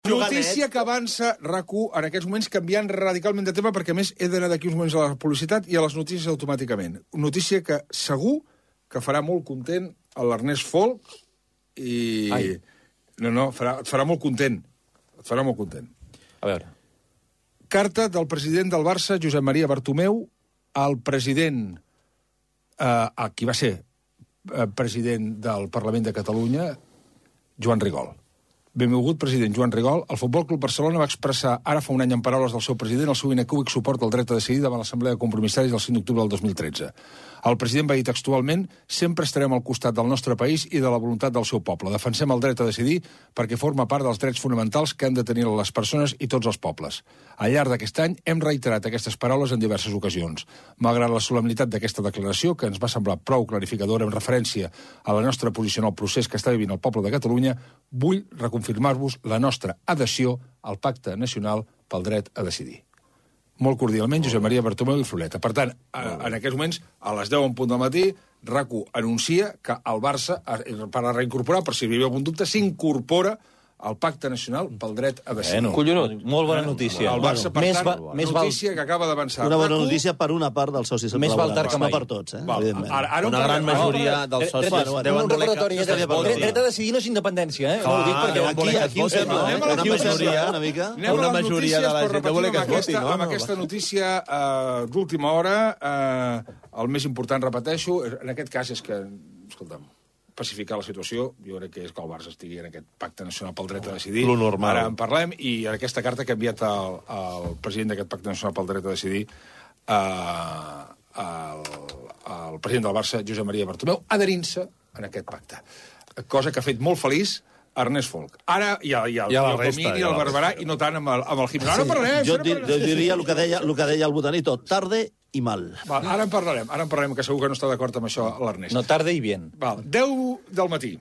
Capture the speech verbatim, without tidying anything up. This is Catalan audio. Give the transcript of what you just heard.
Notícia que avança RAC1 en aquests moments canviant radicalment de tema perquè, a més, he d'anar d'aquí uns moments a la publicitat i a les notícies automàticament. Notícia que segur que farà molt content a l'Ernest Folk i... Ai. No, no, farà, et farà molt content. Et farà molt content. A veure. Carta del president del Barça, Josep Maria Bartomeu, al president, eh, a qui va ser eh, president del Parlament de Catalunya, Joan Rigol. Benvolgut president Joan Rigol, el Futbol Club Barcelona va expressar ara fa un any en paraules del seu president el seu inecúbic suport al dret a decidir davant l'Assemblea de Compromissaris del cinc d'octubre del dos mil tretze. El president va dir textualment: sempre estarem al costat del nostre país i de la voluntat del seu poble. Defensem el dret a decidir perquè forma part dels drets fonamentals que han de tenir les persones i tots els pobles. Al llarg d'aquest any hem reiterat aquestes paraules en diverses ocasions. Malgrat la solemnitat d'aquesta declaració, que ens va semblar prou clarificadora en referència a la nostra posició en el procés que està vivint el poble de Catalunya, vull reconfirmar-vos la nostra adhesió al Pacte Nacional pel Dret a Decidir. Molt cordialment, Josep Maria Bartomeu i Floreta. Per tant, en aquests moments, a les deu en punt del matí, RAC1 anuncia que el Barça, per a reincorporar, per si hi havia algun dubte, s'incorpora al Pacte Nacional pel Dret a Decidir. Bueno, collonut, molt bona notícia. El Barça, per més tant, va, més notícia val... que acaba d'avançar. Una bona notícia per una part dels socis. Més val tard que mai. No per tots, eh, Val. evidentment. Ara, ara Una gran majoria dels socis Bueno, deuen un voler recordatori, que... dret, dret a decidir no és independència, eh? No ho dic perquè aquí, aquí ho sembla. Anem a la Una notícia. majoria, una mica. Anem a Una les majoria de la notícies, gent però voler que es repetim voti, no? amb aquesta notícia eh, d'última hora, eh, el més important, repeteixo, en aquest cas és que, escolta'm, pacificar la situació, jo crec que és que el Barça estigui en aquest pacte nacional pel dret a decidir. Lo normal. Ara en parlem, i en aquesta carta que ha enviat el, el president d'aquest pacte nacional pel dret a decidir, eh, el, el president del Barça, Josep Maria Bartomeu, adherint-se en aquest pacte. Cosa que ha fet molt feliç Ernest Folk. Ara hi ha, hi ha, I a la el resta, Comín i i a el la Barberà, i no tant amb el, amb el Gimeno. Ara en parlarem. Jo, ara dir, parlarem. jo diria el que deia, el que deia el Botanito, tarde i mal. Val, ara en parlarem, ara en parlarem, que segur que no està d'acord amb això l'Ernest. No tarda i bien. Val, deu del matí.